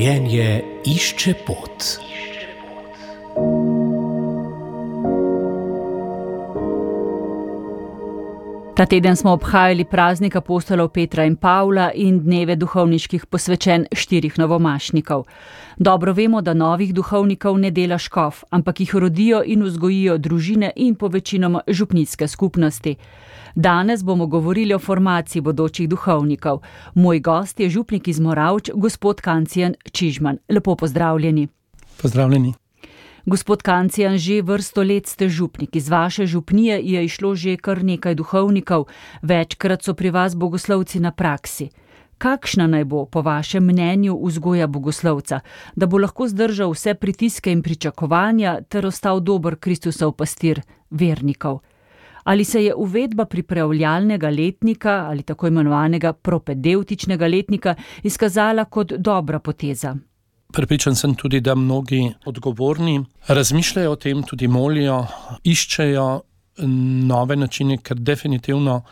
Življenje išče pot. Ta teden smo obhajali praznik apostolov Petra in Pavla in dneve duhovniških posvečen 4 novomašnikov. Dobro vemo, da novih duhovnikov ne dela škof, ampak jih rodijo in vzgojijo družine in povečinoma župnijske skupnosti. Danes bomo govorili o formaciji bodočih duhovnikov. Moj gost je župnik iz Moravč, gospod Kancijan Čižman. Lepo pozdravljeni. Pozdravljeni. Gospod Kancijan, že vrsto let ste župnik. Iz vaše župnije je išlo že kar nekaj duhovnikov, večkrat so pri vas bogoslovci na praksi. Kakšna naj bo, po vašem mnenju, vzgoja bogoslovca, da bo lahko zdržal vse pritiske in pričakovanja ter ostal dober Kristusov pastir vernikov? Ali se je uvedba pripravljalnega letnika ali tako imenovanega propedevtičnega letnika izkazala kot dobra poteza? Prepričan sem tudi, da mnogi odgovorni razmišljajo o tem, tudi molijo, iščejo nove načine, ker definitivno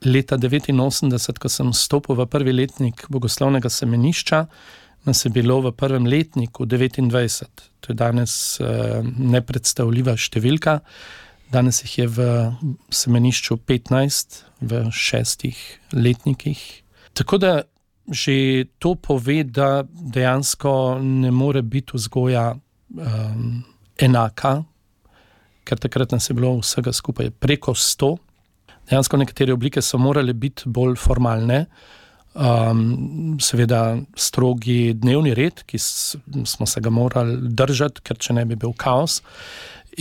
leta 1989, ko sem stopil v prvi letnik bogoslovnega semenišča, nas je bilo v prvem letniku 29. To je danes nepredstavljiva številka. Danes jih je v semenišču 15 v 6 letnikih. Tako da že to pove, da dejansko ne more biti vzgoja enaka, ker takrat nas je bilo vsega skupaj preko 100. Dejansko nekatere oblike so morale biti bolj formalne. Seveda strogi dnevni red, ki smo se ga morali držati, ker če ne bi bil kaos.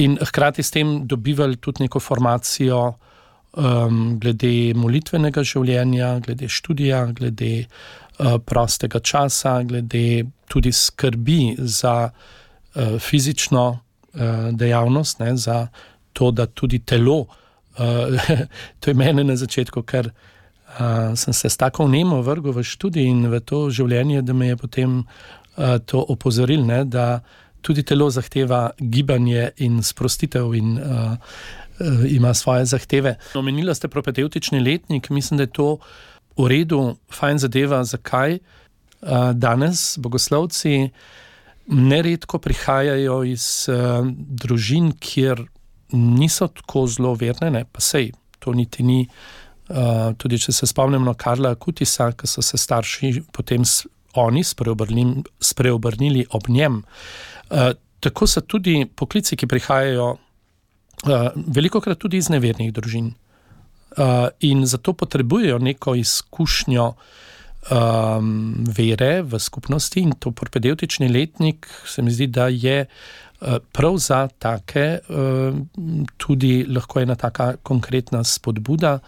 In hkrati s tem dobivali tudi neko formacijo glede molitvenega življenja, glede študija, glede prostega časa, glede tudi skrbi za fizično dejavnost, ne, za to, da tudi telo, to je mene na začetku, ker sem se s tako vnemo vrgel v študij in v to življenje, da me je potem to opozoril, ne, da tudi telo zahteva gibanje in sprostitev in ima svoje zahteve. Omenila ste propedevtični letnik, mislim, da je to v redu, fajn zadeva. Zakaj? Danes bogoslovci neredko prihajajo iz družin, kjer niso tako zelo verne, ne? Pa sej, to niti ni. Tudi če se spomnimo Karla Kutisa, ko so se starši potem oni spreobrnili ob njem. Tako so tudi poklici, ki prihajajo velikokrat tudi iz nevernih družin. In zato potrebujejo neko izkušnjo vere v skupnosti in to propedevtični letnik se mi zdi, da je prav za take tudi lahko ena taka konkretna spodbuda.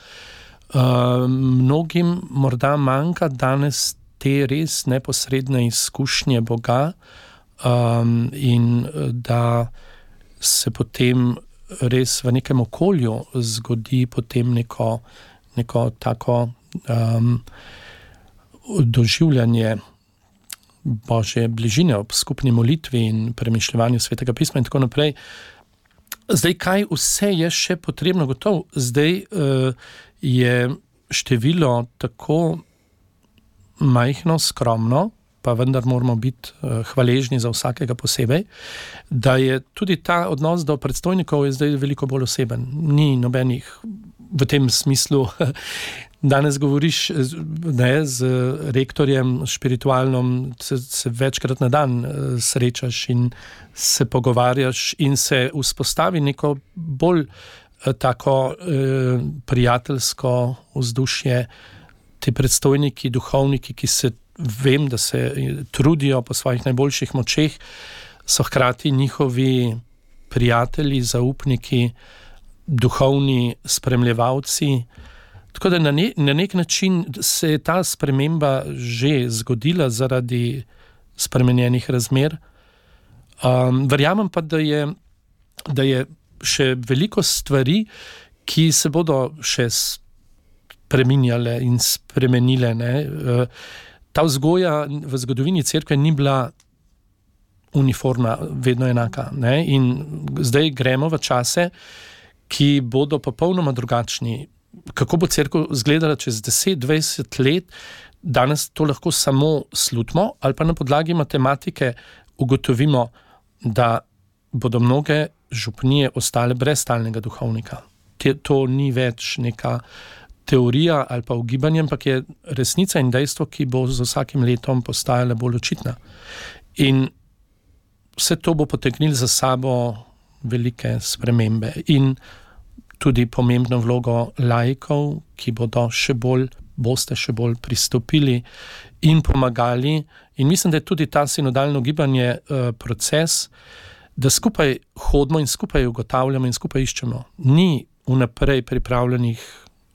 Mnogim morda manjka danes te res neposredne izkušnje Boga in da se potem res v nekem okolju zgodi potem neko tako doživljanje Božje bližine ob skupni molitvi in premišljevanju Svetega pisma in tako naprej. Zdaj, kaj vse je še potrebno gotovo? Zdaj je število tako majhno, skromno, pa vendar moramo biti hvaležni za vsakega posebej, da je tudi ta odnos do predstojnikov je zdaj veliko bolj oseben. Ni nobenih v tem smislu, danes govoriš ne, z rektorjem spiritualnom, se večkrat na dan srečaš in se pogovarjaš in se vzpostavi neko bolj tako prijateljsko vzdušje. Ti predstojniki, duhovniki, ki se vem, da se trudijo po svojih najboljših močeh, so hkrati njihovi prijatelji, zaupniki, duhovni spremljevalci. Tako da na nek način se je ta sprememba že zgodila zaradi spremenjenih razmer. Verjamem pa, da je še veliko stvari, ki se bodo še spreminjale in spremenile, ne. Ta vzgoja v zgodovini cerkve ni bila uniformna, vedno enaka, ne? In zdaj gremo v čase, ki bodo popolnoma drugačni. Kako bo cerkev izgledala čez 10-20 let, danes to lahko samo slutimo ali pa na podlagi matematike ugotovimo, da bodo mnoge župnije ostale brez stalnega duhovnika. To ni več neka teorija ali pa ugibanje, ampak je resnica in dejstvo, ki bo z vsakim letom postajala bolj očitna. In vse to bo potegnilo za sabo velike spremembe in tudi pomembno vlogo laikov, ki boste še bolj pristopili in pomagali. In mislim, da je tudi ta sinodalno gibanje proces, da skupaj hodimo in skupaj ugotavljamo in skupaj iščemo. Ni vnaprej pripravljenih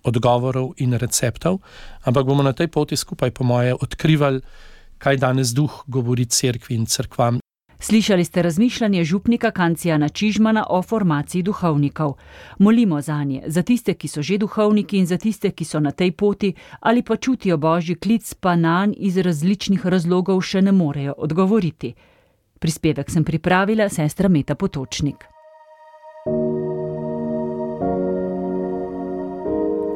odgovorov in receptov, ampak bomo na tej poti skupaj, po moje, odkrivali, kaj danes duh govori cerkvi in cerkvam. Slišali ste razmišljanje župnika Kancijana Čižmana o formaciji duhovnikov. Molimo zanje, za tiste, ki so že duhovniki in za tiste, ki so na tej poti ali pa čutijo božji klic, pa nanj iz različnih razlogov še ne morejo odgovoriti. Prispevek sem pripravila sestra Meta Potočnik.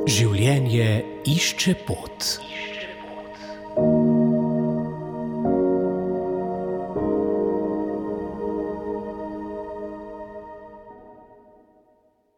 Življenje išče pot.